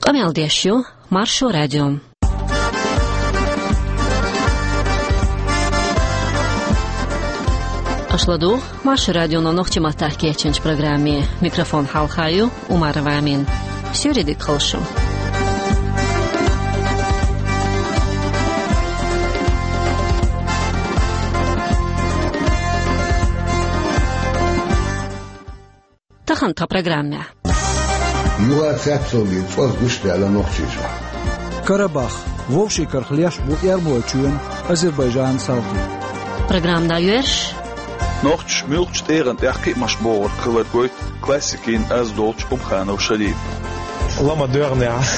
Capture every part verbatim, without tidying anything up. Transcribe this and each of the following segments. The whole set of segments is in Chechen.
Къамел деш ю Маршо радио. Аша ладугӀу Маршо радионо нохчийн маттахь кечйинчу программе. Микрофон хьалха ю Умарова Амина. Суьйре дика хуьлда шун. Тахана тхан программехь. Юха цецалгӀа цӀоз гуш даьлла Нохчийчохь. Карабах. Вовшийн карах леш бу Эрмалойчоьнан, Азербайджанан салти. Программа дӀайоьрзуш. Нохчаша муьлххачу тӀегӀан тӀехь кхиамаш богӀург хилар гойту классикийн аз долчу Умханов Шарип. Лама доьгӀнехь.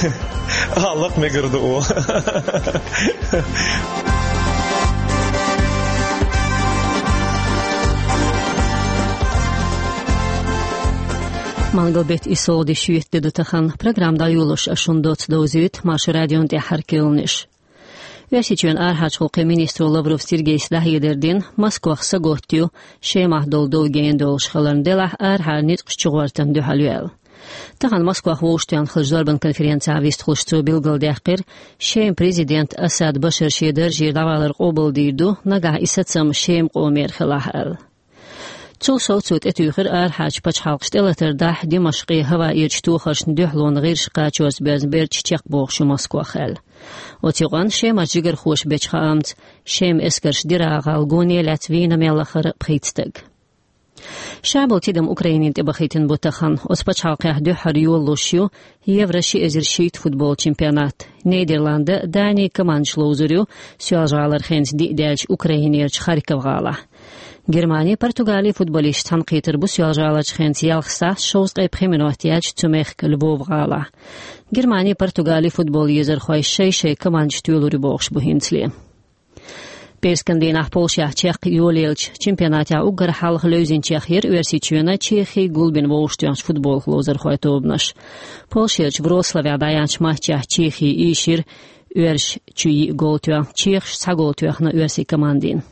А, лакха мегар ду о. Мангал беттан исс лагӀа де шоьтан де ду тахана. Программа дӀайолош ас шуна доцца довзуьйту Маршо радион тӀаьххьара кхаьънаш. Оьрсийчоьнан арахьарчу гӀуллакхийн министро Лавров Сергейс дӀахьедар дина, Москвахь сагатта ю Шемахь долу дов гена долуш хиларна, делахь арахьара ницкъаш чугӀортана дуьхьал ю аьлла. Тахана Москвахь вовшахтоьхна хиллачу зорбан конференцехь вистхуьлуш цо билгалдаьккхира, Шеман президент Асад Башар шен даржера дӀавалар къобалдийр ду, нагахь и сацам Шеман къомера хилахь аьлла. Цул сов цо тӀетуьйхира арахьарчу пачхьалкхаша тӀелатар дахьа Димашкъе хӀаваэрчу тохаршна дуьхьалонан гӀирсаша кхачорца боьзна бердаш чекхбохуш ю Москвах аьлла. Оцу юкъанна Шемарчу жигархоша бечу хаамца, Шеман эскарша Дира-гӀала гоне лаьцна вийна мел лахара пхийтта стаг. Ша болу тидам Украинина тӀе бахийтина бу тахана. Оцу пачхьалкхехь дуьххьара йолалуш ю Евро ши эзар шийтта футбол чемпионат. Нидерландаш, Дани командаш ловзур ю Соьлжа-ГӀалара хенца диъ даьллачу Украинерчу Харьков-гӀалахь. Германи, Португали футболисташ цхьаьнакхетар бу Соьлжа-ГӀаларчу хенца ялх сахьт шовзткъе пхи минот яьлча цу мехкан Львов-гӀалахь. Германи, Португали футбол езархой шай-шай командаш тоьлур ю бохуш бу хӀинцале. Пераскан дийнахь Польшехь чекх йолаеллачу чемпионатехь уггар хьалха левзинчех яра Оьрсийчоьнан, Чехин гулбина вовшахтоьхначу футболах ловзархойн тобанаш. Польшерчу Вроцлавехь дӀаяьхьначу матчехь Чехи ийшира оьрсашна чу йиъ гол тоьхна, чехаша цхьа гол тоьхна оьрсийн командина.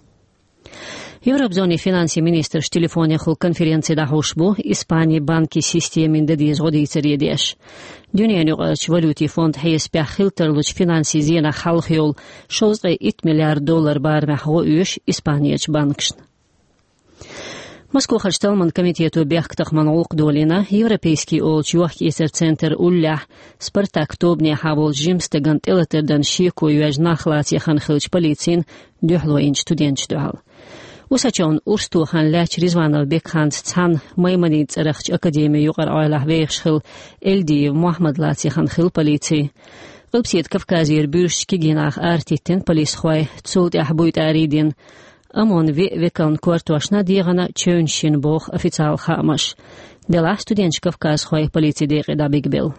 Европа зонин финансийн министраш телефонехула конференци дӀахьош бу Испанин банкийн системина дан деза гӀо дийцаре деш. Дуьненан юкъарчу валютийн фондана хьесапехь хила тарлучу финансийн зенах хьалха йолу шовзткъе итт миллиард доллар барамехь гӀо оьшу Испанерчу банкашна. Москвахарчу талламан комитето бехктакхаман гӀуллакх долийна, Европейский олучу йохк-эцаран центран уллехь Спартак тобанехьа волчу жимчу стагана тӀелатар дан шеко йоьжна нах лацийна хиллачу полицина дуьхьало йинчу студенташна дуьхьал. Усачевна урс тохарна лаьттачу Ризванов Бекханца цхьаьна Майманида цӀарахчу академин юкъара Ӏойлахь вехаш хилла Эльдиев Мохьмад лацийна хилла полици. Къилбаседа Кавказера буьрсачу кегий наха арахӀиттина полисхой, цул тӀаьхьа буй тӀарий дина. ОМОН виъ векална кортошна дегӀана чевнаш йина боху официалан хаамаша. Делахь студенташ кавказхой полицин декъе дӀабигабелла.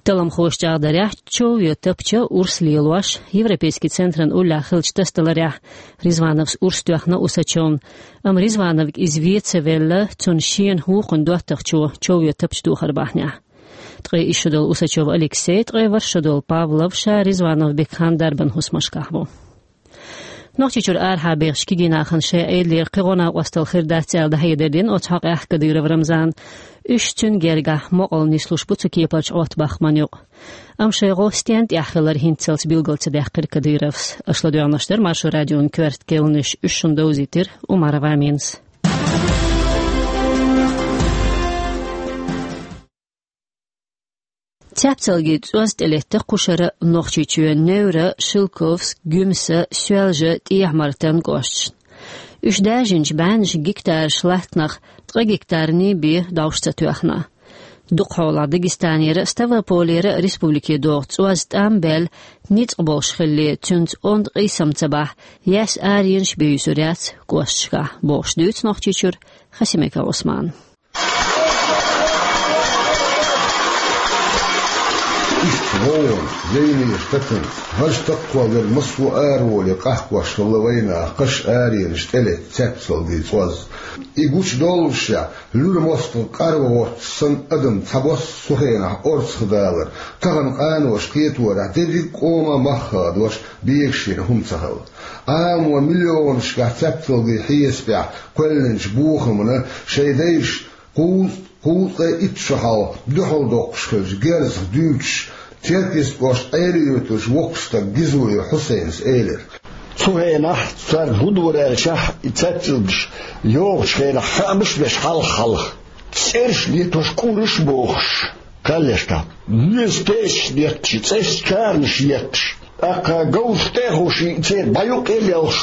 Талламхоша чӀагӀдарехь, чов йо тапча урс лелош, Европейский центран уллехь хиллачу тасадаларехь Ризвановс урс тоьхна Усачевна, амма Ризвановга иза вен ца велла, цунна шена хӀокхуьнан доттагӀчо чов йо тапча тохар бахьанехь. Ткъе исс шо долу Усачев Алексей, ткъе ворхӀ шо долу Павлов ша Ризванов Бекхан дарбан хӀусамашкахь бу. Нохчийчуьра арахьа бехачу кегий нахана шайн Ӏедалера кхин гӀо-накъосталла хир дац аьлла дӀахьедар дина оцу хьокъехь Кадыров Рамзана. Уьш цуьнан гергахь мукъалла нислуш бу цу кепарчу Ӏоттабахаман юкъа. Амма шайн гӀо стенна тӀехь хилар хӀинццалц билгал ца даьккхира Кадыровс. Аша ладоьгӀнарш дара Маршо радион коьрта кхаьънаш, уьш шуна довзийтира Умарова Аминас. Цаьпцалгийн цӀоз тӀелетта кхушара Нохчийчоьнан Невра, Шелковск, Гуьмса, Соьлжа, ТӀехьа-Мартан кӀошташна. Уьш даьржинчу бӀеннаш гектараш латтанах ткъа гектарний бен довш ца тоьхна. Дукхахьолахь Дагестанера а, Ставрополера а республике догӀу цӀоз тӀам баьлла, ницкъ болуш хилале, цуьнца онда къийсам ца бахь, яьсса аренаш бен юьсур яц кӀошташкахь, бохуш дуьйцу Нохчийчуьра Хасимиков Ӏусмана. Иштта гӀовгӀанаш, зевнаш, тацанаш, важа таккхол дерг массо а араволий къахкош хилла вайнах, кхаш аренаш тӀелетта цаьпцалгийн цӀоз. И гучудоллушехь, луьра мостагӀа къарван гӀотташ санна адам цхьабосса цу хенахь орцахдалар, тахана къаноша кхеторехь дерриг а къоман мах хадош бегаш йина хӀума ца хилла. Ӏамо миллионашкахь цаьпцалгийн хьесапехь кхоьллинчу бохамна шайн дайша кхузткъа Кхузткъе итт шо хьалха дуьхьал доккхуш хилча герзах дуьйцуш, Теркйист кӀоштан Ӏелиоьтуш воккха стаг Гизоев Хьусайнас элира. Цу хенахь цаьрга хӀун дора аьлча, и цаьпцӀилгаш йогӀучу хенахь хаамаш а беш хьалха-хьалха, цӀераш а летош, кӀураш а бохуш, кхаллешка. Веза тешаш детташ, цӀераш чарнаш етташ. ТӀаккха говзах тӀе а ховший, церан бӀе юккъе а лелхаш,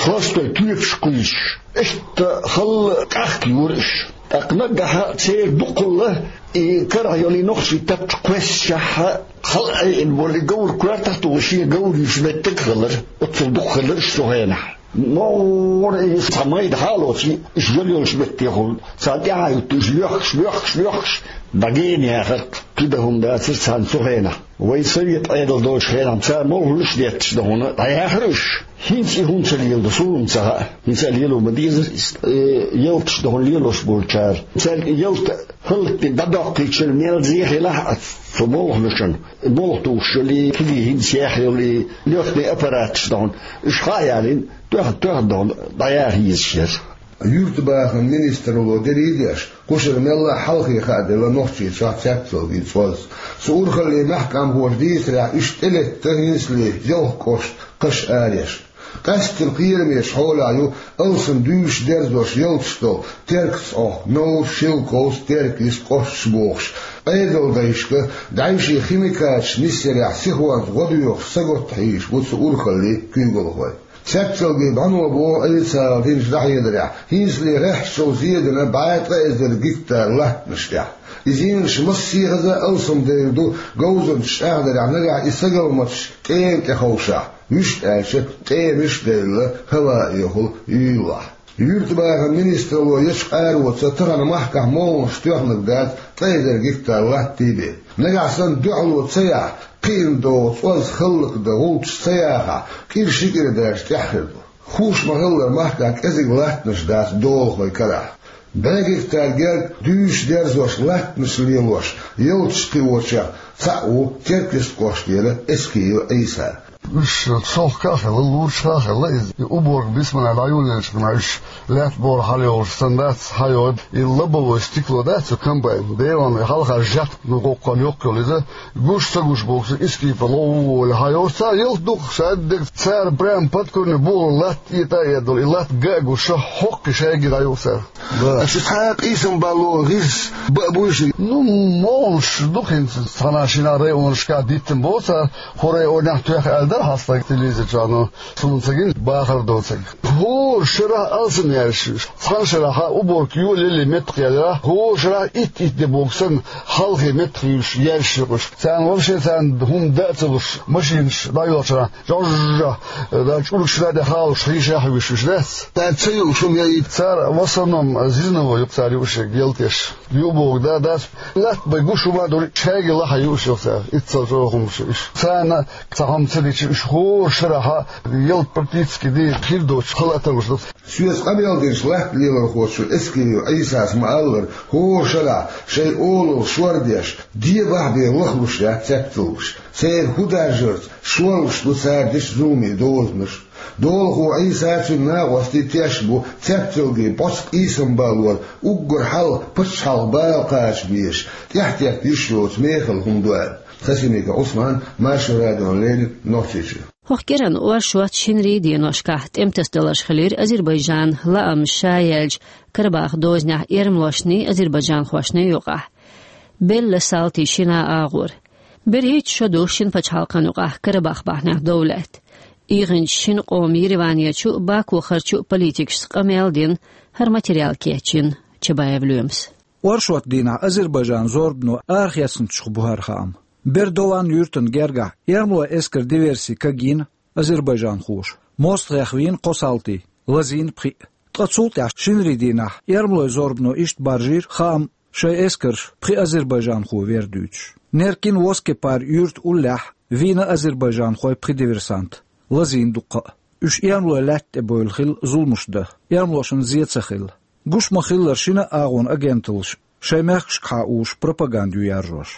хластой тоьпаш кхуьйсуш. Иштта халла къахка юра уьш. ТӀаккха наггахьа церан дукхалла и карахь йолу и нохчийн тапча кхоьссичахьа, хала Ӏеина волу и говр коьртах а тухуш, шен говр юьйш меттиг а хилира, оццул дукха хилира уьш цу хенахь. МогӀара и цхьа майда хьалоций, уьш йолу йолуш меттехула, царна тӀаьхьа юттуш, лоьхкуш, лоьхкуш, лоьхкуш, дӀагена яхарх, кхин дан хӀума дацара царна цу хенахь. Вай совет Ӏедал долчу хенахь цара молханаш а детташ дан хӀуна дӀаяхара уьш. ХӀинца и хӀума ца леладо, суна ца хаьа. ХӀинца а лело ма дезара иза. Э, ялташ дан хӀуна лелош болчара. Цаьрга и ялта хӀаллакдина дӀадоккхийчара мел зе хилахь а цу молханашна, молха тухуш йолу и кегий хӀинца яьхна йолу и лётный аппараташ дан хӀуна. Уьш хьа а ялийна, тоьхна, тоьхна дан хӀуна дӀаяха езаш яра. Юьртабахаман министралло дерриг а деш, кхушара мелла а хьалхе хаа делла Нохчийчохь цецвалгий цӀоз. Цу урхаллин мехкамхоша дийцарехь, уьш тӀелетта хӀинцале ялх кӀошт кхаш ареш. Къаьсттина кхерамечу хьолехь ю алсам дуьйш дерзош ялташ долу Теркаца Ӏохку, Новр, Шелковс, Теркйист кӀошташ бохуш. Ӏедалдайшка дӀаьвше химикаташ нисъярехь сихонца гӀо доьхуш сагатта хьийзаш бу цу урхаллин куьйгалхой. Цецвалгий бӀаьнабо боху официалан динчу дӀахьедарехь, хӀинцале гӀеххьачул зен дина бӀе ткъа эзар гектар латтанаш тӀехь. И зенаш массехаза алсамдевр ду, говзанчаша чӀагӀдарехь, нагахь и сагалматаш тӀема тӀе ховшахь, вуьшта аьлча, тӀемаш а девлла, хӀаваэхула юьйлахь. Юьртабахаман министралло ечу къароца тахана махкахь молханаш тоьхнарг дац ткъа эзар гектар латта бен. Нагахь санна дуьхьало ца яхь, кхиъна догӀу цӀоз хӀаллакдан гӀулчаш ца яхахь, кӀира ши кӀира даьржа тӀаьхьа хир ду. Хууш ма-хиллара, махкахь кӀезиг латтанаш дац долахойн карахь. БӀе гектар герга дуьйш дерзош, латтанаш лелош, ялташ кхиочех цхьаъ ву Теркйист кӀоштера Эскиев Ӏийса. Уьш цхьа а хилла, лучу а хилла иза. И уборка бисманна дӀайолаелча, уьш лаьтта бохуш хьалайолуш санна дац, хьайолу и лобовое стекло дац цу комбайн. Делан хьалха жат, ну, гӀоккхул йоккха йолу иза, гуш ца гуш бохуш, иза кипа ловволу хьайолуш, цара ялта дукха, ша дерг цара прямо под корень бохуш латта этӀа а эдала, и латта га а гуш, хьокхий шайга дӀайолу цара. Да. Аша цхьа а къийсам балло гӀирс баа буй ши? Ну, молуш ду хӀинца, цхьана шина районашка диттина боху цара, хӀора районехь тоьхна аьлла дара хьан стаг телевизор чохь, но суна ца гина, бахар доцург. ХӀора шарахь алсам яьлла уьш. Цхьана шарахь уборка йолаеллий меттах яьлла, хӀора шарахь итт-итт де боху санна, хьалхе меттах юьйш яьлла уьш. Царна вовше царна хӀума дан а ца луш, машинаш дӀайолчарахь, жожжа, да, чӀургаш да де халуш, хьийша хьуьйш уьш дац. Цара ца юуш хӀума яйта? Цара в основном зерновой юкъа цара юуш ялтеш. Ю боху, да, дац. Латта бай гуш хӀума а дур, шайга лаха юуш ю цара. Иццал чӀогӀа хӀумаш ю уьш. Царна цхьа хӀума ца дича, уьш хӀора шарахь ялта практически дийр хир доцуш хала а тарлуш ду. Соьца къамел динчу латта лелорхочо Эскиев Ӏийсас ма-аллара, хӀора шарахь шайн олалла шор деш, дебахь бен лахлуш яц цецвалгаш. Церан хӀун даржарца шорлуш ду цара дечу зуламийн дозанаш. Долахо Ӏийса а, цуьнан накъостий тешна бу цецвалгий боцу къийсам баллор уггар хьалха пачхьалкхан бала кхача безаш, тӀаьхьатетта йиш йоцу мехала хӀума ду аьлла. Хасимиков Ӏусман, Маршо радиона леррина, Нохчийчоь. ХӀокху кӀиранан оршот шинарин деношкахь тӀематасадаларш хилира Азербайджанан лаамаш ша яьллачу Карабахах дозанехь эрмалошний, азербайджанхошний юкъахь. Белла салтий шина агӀор. БерхӀитта шо ду шина пачхьалкхан юкъахь Карабах бахьанехь дов лаьтта. ИгӀинчу шина къоман Ереванерчу а, Бакухарчу а политикашца къамел а дина, хӀара материал кечйина Чабаев Лоьмас. Оршот дийнахь Азербайджанан зорбано арахецначух бу хӀара хаам. Бердован юьртана гергахь эрмалойн эскаран диверси кагйина азербайджанхоша. МостагӀех вийна кхо салти, лазийна пхиъ. Ткъа цул тӀаьхьа шинарин дийнахь эрмалойн зорбано иштта баржийра хаам, шайн эскарша пхи азербайджанхо вер дуьйцуш. Неркин Воскепар юьрта уллехь вийна азербайджанхойн пхи диверсант, лазийна дуккха а. Уьш эрмалойн лаьтта тӀе бевлла хилла зуламаш дан, эрмалошна зен ца хилла. Гуш ма-хиллара, шина а агӀонан агенталлаш шайн мехкашкахьа уьш пропаганда ю яржош.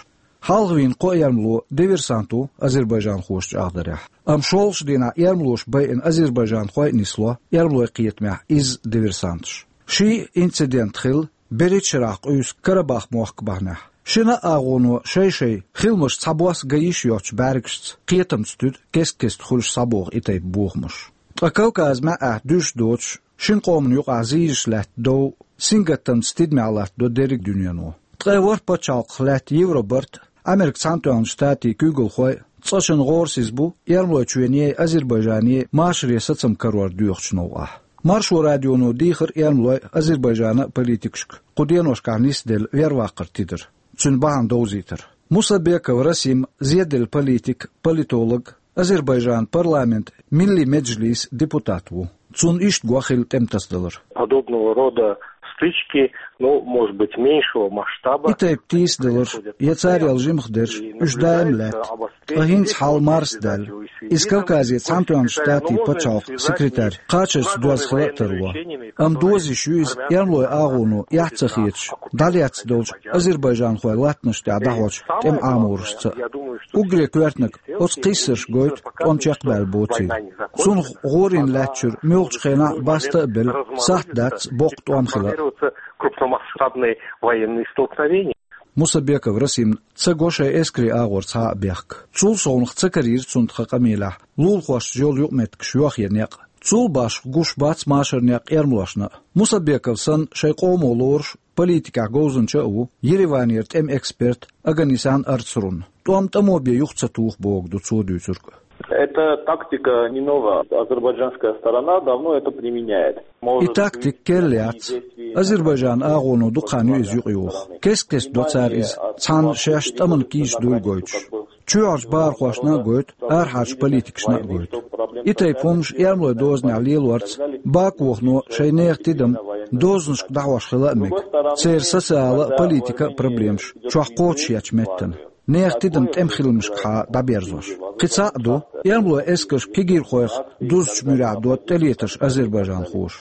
Хьалха вийна кхо эрмало диверсант ву азербайджанхоша чӀагӀдарехь. Амма шолгӀачу дийнахь эрмалоша байина азербайджанхой а нисло эрмалойн кхетамехь изза диверсанташ. Ши инцидент хилла берхӀитта шарахь къуьйсу Карабах мохк бахьанехь. Шина а агӀоно шай-шай хиламаш цхьабосса ган йиш йоцучу бӀаьргашца кхетамца туьду кест-кеста хуьлуш схьабоху и тайпа бохамаш. Ткъа Кавказ маьӀӀехь дуьйш доцуш, шина къомана юкъахь зийзаш лаьтта дов сингаттамца тидамехь латтадо дерриг а дуьнено. Ткъе ворхӀ пачхьалкхах лаьтта Евробарт, Америкин Цхьаьнатоьхначу Штатийн куьйгалхой цкъачунна гӀорасиз бу Эрмалойчоьнеи Азербайджанеи машаре сацам карор доьхучу новкъахь. Маршо радионо дийхира Эрмалойн а, Азербайджанан а политикашка кху деношкахь нисделла верваккхар тидар, цуьнан бахьана довзийтар. Мусабеков Расим зеделла политик, политолог, Азербайджанан парламентан Милли Меджлисан депутат ву. Цунна иштта го хилла тӀематасадалар. Подобного рода стычки, ну, может быть, меньшего масштаба. И тайпа тийсадаларш я царел жимхадерш, уьш даим лаьтта. Ткъа хӀинца хьал марсадаьлла. Иза Кавказе Цхьаьнатоьхначу Штатийн пачхьалкхан секретарь кхачарца доьзна хила а тарло. Амма доза йиш ю иза Эрмалойн агӀоно эхь ца хеташ, дӀалаьцна долчу азербайджанхойн латтанаш тӀехь дӀахьочу тӀеман Ӏаморашца а. Уггаре коьртаниг оцу кхиссарш гойту тӀом чекхбаьлла боцийла. Цунах гӀорийна лаьттачуьра муьлххачу хенахь а баста а белла, сахьт дац боккха тӀом хила а. Крупномасштабные военные столкновения. Мусабеков Расимна ца го шайн эскарийн агӀор цхьа а бехк. Цул совнаха ца карийра цунна тхан къамелехь лулахошца йолу юкъаметтигаш йохъен некъ. Цул башха гуш бац машаран некъ эрмалошна а. Мусабеков санна шайн къомо лоруш политикехь говзанча а ву Ереванера тӀеман эксперт Оганесян Арцрун. ТӀом тӀамо бен юха ца туху бохург ду цо дуьйцург. Эта тактика не нова. Азербайджанская сторона давно это применяет. И тактика керла яц. Азербайджанан агӀоно дукха хан ю иза юкъайоху. Кест-кеста до цара иза, цхьана шаьш тӀамна кийча дуйла гойтуш. Чоьхьарчу бахархошна а гойту, арахьарчу политикашна а гойту. И тайпа хӀуманаш эрмалойн дозанехь лелорца Бакуно шайн нехан тидам дозанашка дӀахьош хила а мега. Церан социала а, политика а проблемаш чохь кхочушъечу меттана, нехан тидам тӀеман хиламашкахьа дӀаберзош. Кхин цхьаъ ду, эрмалойн эскарш кегийрхойх дузучу муьрехь дотту тӀелетарш азербайджанхоша.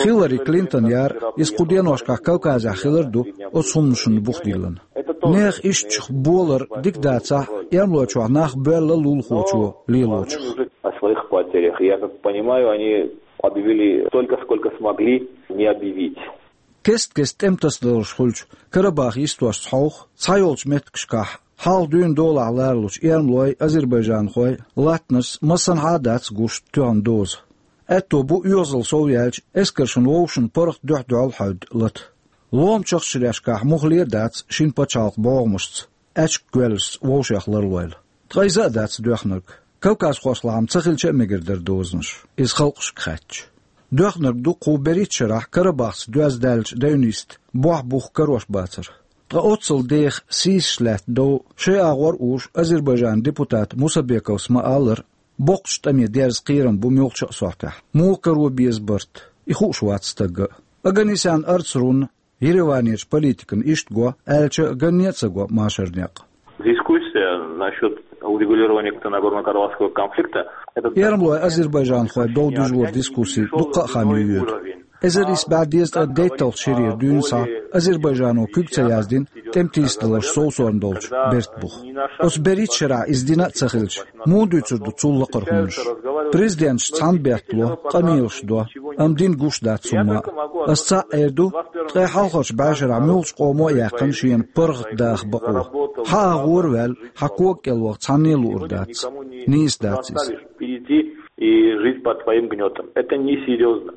Хиллари Клинтон яра, иза кху деношкахь Кавказехь хилар а ду оцу хӀуманашна бух диллина. Нехан ишттачух болар дика дацахь а, эрмалойчохь нах боьлла лулахочо лелочух. О своих потерях. Я как понимаю, они объявили столько, сколько смогли не объявить. Кест-кеста тӀематасадаларш хуьлучу Карабах йистошца хьовха, цхьайолчу меттигашкахь хьалха дуьйна долахь ларалучу эрмалойн, азербайджанхойн латтанашца массанхьа а дац гуш тоьхна доза. Аьтто бу оьгӀазалла сов яьлча эскаршна вовшашна паргӀат дуьхь-дуьхьал хьаьвда лата. Ломачу ахчанашкахь муххале а дац шина пачхьалкхан бӀогӀамашца, аьчка гоьллашца вовшех ларлойла. Ткъа иза а дац доьхнарг. Кавказхошлахь-м ца хилча а мегар дара дозанаш, иза халкъашка хаьттича. Доьхнарг ду кху берхӀитта шарахь Карабахца доьзна даьллачу дайвниста бохь-бух карош бацар. Ткъа оццул деха сийсаш лаьтта дов шайн агӀор а уьш Азербайджанан депутата Мусабековс ма-аллара, боккхачу тӀаме дерза кхерам бу муьлххачу а сохьтехь. Муха каро беза барт, и хууш вац стагга а. Оганесян Арцрунна Ереванерчу политикана иштта го аьлча а, ганне а ца го машаран некъ. Дискуссия насчёт урегулирования Нагорно-Карабахского конфликта, это... Эрмалойн, азербайджанхойн дов дижоран дискусси дуккха а хан ю йоьду. Эзар исс бӀе дезткъе дейтталгӀачу шерера дуьйна схьа Азербайджано куьг ца яздина тӀематийсадаларш совсорна долчу бертан бух. Оцу берхӀитта шарахь иза дина а ца хилча, муха дуьйцур ду цул лакхара хӀуманаш? Президенташ цхьаьна беттало, къамелаш до, амма дина гуш дац хӀумма а. Ас цхьаъ эр ду, ткъе хьалхарчу бӀешарахь муьлххачу къомо а яьккхина шена паргӀат даха бакъо. Хьан агӀора а ваьлла, хьан кога кӀел ваха цхьанне а луур дац. Нийса дац иза. Перейти и жить под своим гнётом. Это несерьёзно.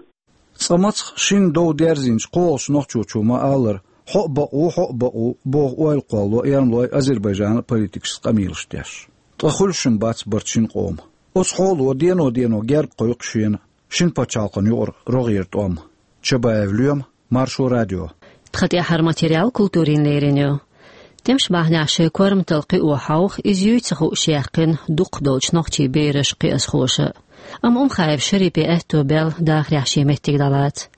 Цкъа мацах шина дов дерзийначу кхоалгӀачу нохчочо ма-аллара, хьо а бакъ ву, хьо а бакъ ву боху ойла кхоллало эрмалойн, азербайджанан а политикашца къамелаш деш. Ткъа хуьлуш-м бац барт шина къоман. Оцу хьоло дено-дено герга кхойкху шена шина пачхьалкхана юкъара рогӀера тӀом. Чабаев Лоьма, Маршо радио. Тхан тӀаьхьара материал культурин лерина ю. ТӀемаш бахьанехь шайн корматалла кхио хьовха, иза юй ца хууш яьккхина дукхах долчу нохчийн бераш, кхиазхоша. Амма Умхаев Шарипе аьтто баьлла дахарехь шен меттиг дӀалаца.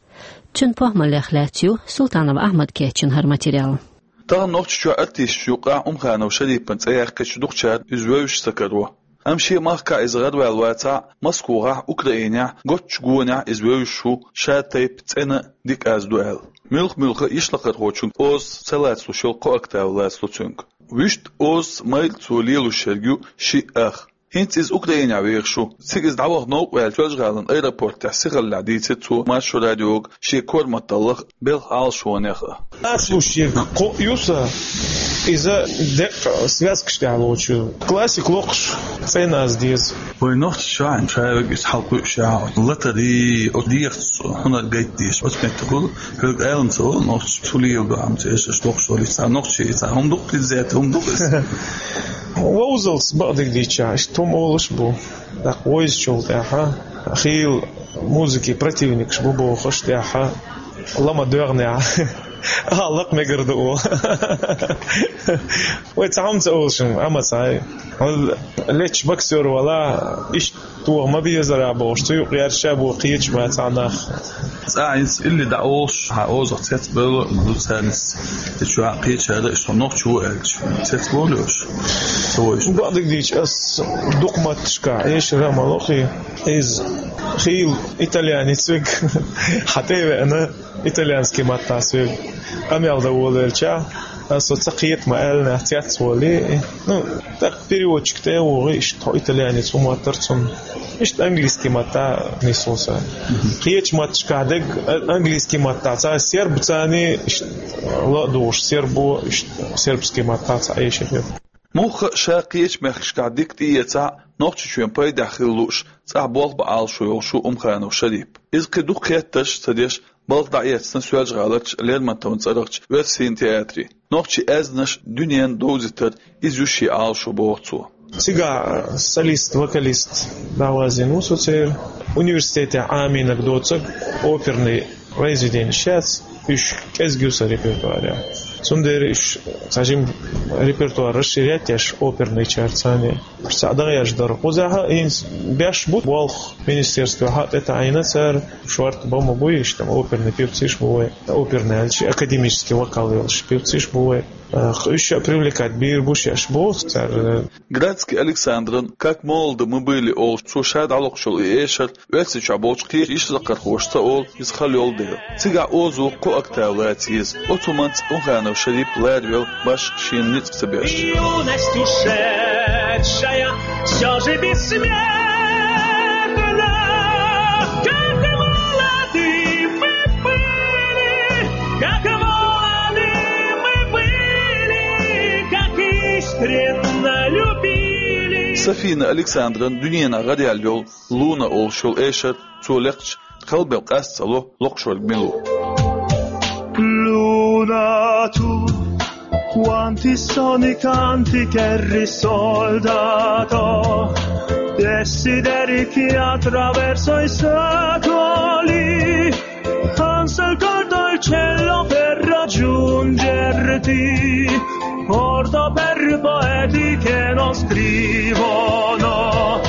Цуьнан похӀмаллех лаьцна ю Султанов Ахьмада кечйина хӀара материал. Тахана Нохчийчохь артисташна юкъахь Умханов Шарипан цӀе яьккхича дукхачара иза вевзаш ца каро. Амма шен махкахь иза гӀараваьлла вацахь а, Москвахь, Украинехь, готтачу гонехь иза вевзаш ву, шатайпа цӀена дика аз ду аьлла. Муьлхха-муьлхха а йишлакхархочун озаца ца лацалуш йолу кхо октава лацало цуьнга. Вуьшта озаца майра цо лелош ерг ю шиъ ах. ХӀинца иза Украинехь вехаш ву. Цига иза дӀаваха новкъа ваьлча, Соьлжа-ГӀалин аэропортехь сихаллехь дийцира цо Маршо радиога шен корматаллах а, белхан Ӏалашонех а. Ацлушьега кхоъ ю сан, иза деккъа связкаш тӀехь лоцуш ю. Классик локхуш, цӀена аз деза. Вай нохчи чохь а шайвиг иза хьалкхуьуш яхьа. Латарий, о, дехаца хьунар гайтдеш, оцу меттехула, хӀоьга алам ца вала, нохчи цу лела бахьамца, эшаш локхуш валлий, цхьа нохчи, цхьа хӀума дукха иззета, хӀума дукха иза. Вовзалц бакъдиг дийча, иштта хӀума олуш бу. ТӀаккха войзачул тӀаьхьа, хийла музыки противникаш бу бохуш тӀаьхьа, лама доьгӀнехь, а, лакха мегар ду оха. Вай цхьа хӀума ца олуш, амма цхьа. Лечча боксёр вала, иштта тоха ма безара бохуш, цу юкъ гӀерташ бу кхеча бацахь нах. Цкъа а иза илли дӀа олуш, хьан озах цецбевлла а ду царна иза. И чохь кхечара иштта нохчи ву аьлча, цецбовлий уьш? Ца войш. Бакъдиг дийча, ас дукха матташкахь эшар а ма лохий. Иза хийла итальянец вег хьан тӀе а веана, итальянский маттахь соьга къамел дан волавелча, ас со ца кхета ма аьлла, нах цецволий. Ну, тӀаккха переводчик тӀе а вогӀий, иштта хьо итальянец ву моттара цунна. Иштта английский маттахь нисло сан. Кхечу матташкахь дерг а-, английский маттахь цхьа серб царний, иштта ла а духуш сербо, иштта сербский маттахь цхьа эшар ю. Мухха а ша кхечу мехкашкахь дика тӀеэцахь а, Нохчийчоьнан пайдехь хила лууш, цӀахь болх бан Ӏалашо йолуш ву Умханов Шарип. Иза кхин дукха хеттарш а ца деш, балха дӀаэцна Соьлжа-ГӀаларчу Лермонтовн цӀарахчу оьрсийн театре. Нохчийн аьзнаш дуьненна довзийтар иза ю шен Ӏалашо, боху цо. Цигахь солист, вокалист дӀавазийна ву со церан. Университетехь Ӏамийнарг доцург оперный произведенеш яц, уьш кӀезиг ю сан репертуарехь. Цундела уьш цхьа жима репертуар расширять еш оперныйчарца. Уьш цхьаъ дагӀеш дара. Кхузахь а хӀинца беш бу болх министерствехь а, тӀетаӀийна цара, шорта бан ма буй, иштта оперный певцаш бу вай, оперный аьлча, академический вокал йолуш певцаш бу вай. Э, уьш а привлекать бийр бу шаьш боху цара. Градский Александран «Как молоды мы были» олуш, цо ша дӀалохуш йолу и эшар Оьрсийчохь болчу кхечу йишазакхархошца олу, иза хала йолу дела. Цигахь озо кхо октава лаца еза. Оцу хӀуманца Умханов Шарип ларавелла, башха шена ницкъ ца беш. Юность ушедшая всё же бессмертна, как молоды мы были, как молоды мы были, как искренно любили. Сафина Александран дуьненахь гӀараяьлла йолу «Луна» олуш йолу эшар цо лекхча, халбевлла къаста ца ло локхуш верг мила ву. Luna tu, quanti soni, canti che risoldato, desideri che attraverso i secoli ansa il cor del cielo per raggiungerti, porto per poeti che non scrivono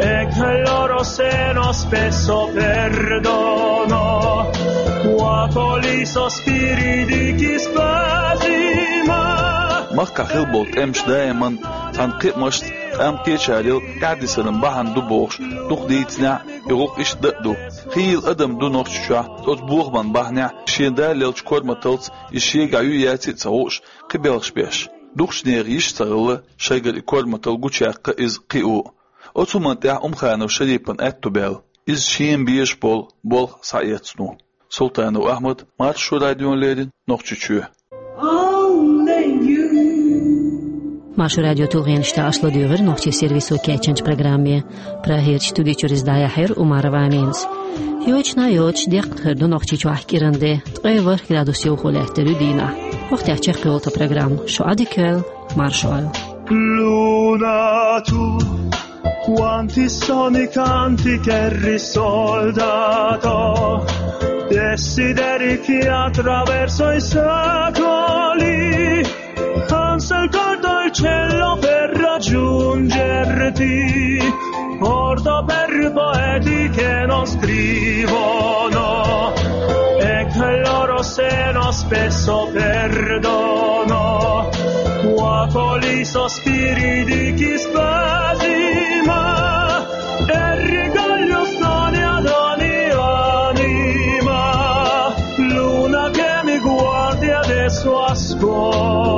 e che il loro seno spesso perdono, cuoco i sospiri di chi spesima. Махкахь хилла болу тӀемаш даиман цхьана кхиамашца, къам кхечарел тӀаьхьадисаран бахьана ду бохуш, дукха дийцинехь, и гӀуллакх иштта дан а ду. Хийла адам ду Нохчийчохь, оцу бохаман бахьанехь, шен даллелчу корматалц иза шегахь юй яций а ца хууш, кхин белхаш беш. Дукхачу нехан йиш а ца хилла, шайгара и корматалла гучуяккха иза кхио. Оцу хӀуманна тӀехь Умханов Шарипан аьтто баьлла, иза шена безаш болу болх схьаэцна. Султанов Ахьмад, Маршо радиона леррина, Нохчийчоь. Маршо радион тулгӀенаш тӀехь аша ладуьйгӀира нохчийн сервисо кечйинчу программе. Прагерчу студи чуьра иза дӀаяьхьира Умарова Аминас. Йочана йоцуш, деккъа хир ду Нохчийчохь кӀиран де, ткъе ворхӀ градус йовхо лаьттар ю дийнахь. ХӀокху тӀехь чекхйолу тхан программа. Шу Ӏадика йойла, марша Ӏойла. Luna tu, quanti soni, canti che risoldato, desideri che attraverso i secoli ansa il cor del cielo per raggiungerti, porto per poeti che non scrivono e che il loro seno spesso perdono, cuoco i sospiri di chi spesima e rigaglio stoni ad ogni anima. Luna che mi guardi adesso a scuola.